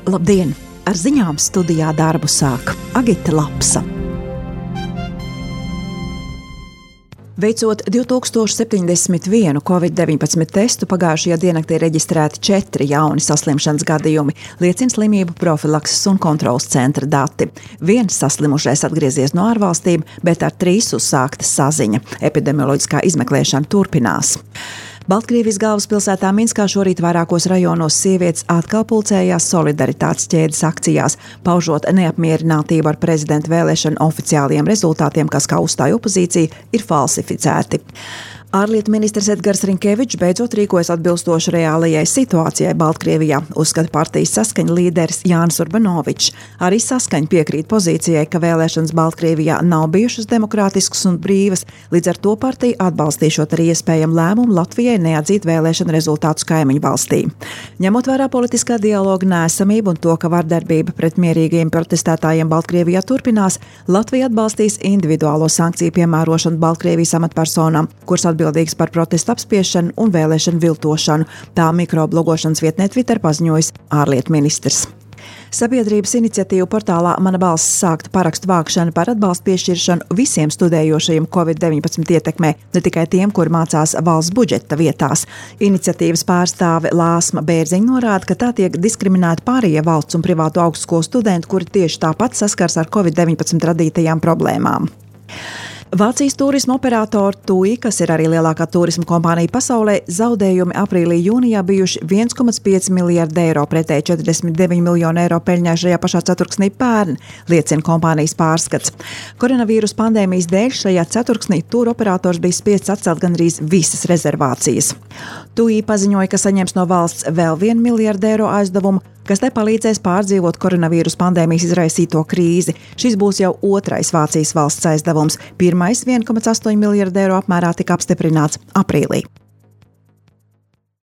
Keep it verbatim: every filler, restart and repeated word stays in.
Labdien! Ar ziņām studijā darbu sāk Agita Lapsa. Veicot divi tūkstoši septiņdesmit vienu covid deviņpadsmit testu, pagājušajā diennaktī reģistrēti četri jauni saslimšanas gadījumi, liecina slimību profilakses un kontrolas centra dati. Viens saslimušais atgriezies no ārvalstīm, bet ar trīs uzsākta saziņa. Epidemioloģiskā izmeklēšana turpinās. Baltkrievijas galvaspilsētā Minskā šorīt vairākos rajonos sievietes atkal pulcējās solidaritātes ķēdes akcijās, paužot neapmierinātību ar prezidenta vēlēšanu oficiāliem rezultātiem, kas, kā uzstāja opozīcija, ir falsificēti. Ārlietu ministrs Edgars Rinkevičs beidzot rīkojas atbilstoši reālajai situācijai Baltkrievijā, uzskata partijas Saskaņa līderis Jānis Urbanovičs. Arī Saskaņa piekrīt pozīcijai, ka vēlēšanas Baltkrievijā nav bijušas demokrātiskas un brīvas, līdz ar to partija atbalstīšot arī iespējamu lēmumu Latvijai neatzīt vēlēšanu rezultātus kaimiņu valstī. Ņemot vērā politiskā dialoga neesamību un to, ka vardarbība pret mierīgajiem protestētājiem Baltkrievijā turpinās, Latvija atbalstīs individuālo sankciju piemērošanu Baltkrievijas amatpersonām, kuras atbildīgs par protestu apspiešanu un vēlēšanu viltošanu. Tā mikroblogošanas vietnē Twitter paziņojis ārlietu ministrs. Sabiedrības iniciatīvu portālā Mana balss sākta parakstu vākšana par atbalstu piešķiršanu visiem studējošajiem covid deviņpadsmit ietekmē, ne tikai tiem, kuri mācās valsts budžeta vietās. Iniciatīvas pārstāve Lāsma Bērziņa norāda, ka tā tiek diskriminēti pārējie valsts un privātu augstskolu studenti, kuri tieši tāpat saskars ar covid deviņpadsmit radītajām problēmām. Vācijas turisma operatora TUI, kas ir arī lielākā turisma kompānija pasaulē, zaudējumi aprīlī-jūnijā bijuši viens komats pieci miljardi eiro pretēji četrdesmit deviņi miljoni eiro peļņai šajā pašā ceturksnī pērn, liecina kompānijas pārskats. Koronavīrus pandēmijas dēļ šajā ceturksnī tūru operators bija spiests atcelt gandrīz visas rezervācijas. TUI paziņoja, ka saņems no valsts vēl vienu miljardu eiro aizdevumu, kas te palīdzēs pārdzīvot koronavīrus pandēmijas izraisīto krīzi. Šis būs jau otrais Vācijas valsts aizdevums. Pirmais viens komats astoņi miljardi eiro apmērā tika apstiprināts aprīlī.